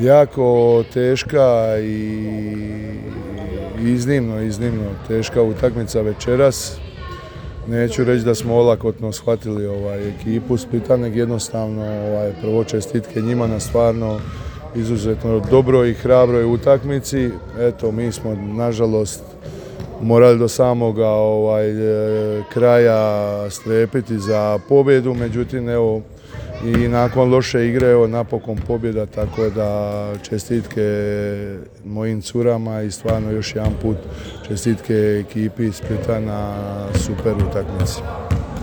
Jako teška i iznimno teška utakmica večeras. Neću reći da smo olakotno shvatili ekipu Splita, nego jednostavno prvo čestitke njima na stvarno izuzetno dobroj i hrabroj utakmici. Eto, mi smo nažalost morali do samoga kraja strepiti za pobjedu, međutim evo i nakon loše igre evo napokon pobjeda, tako da čestitke mojim curama i stvarno još jedan put čestitke ekipi Splita na super utakmici.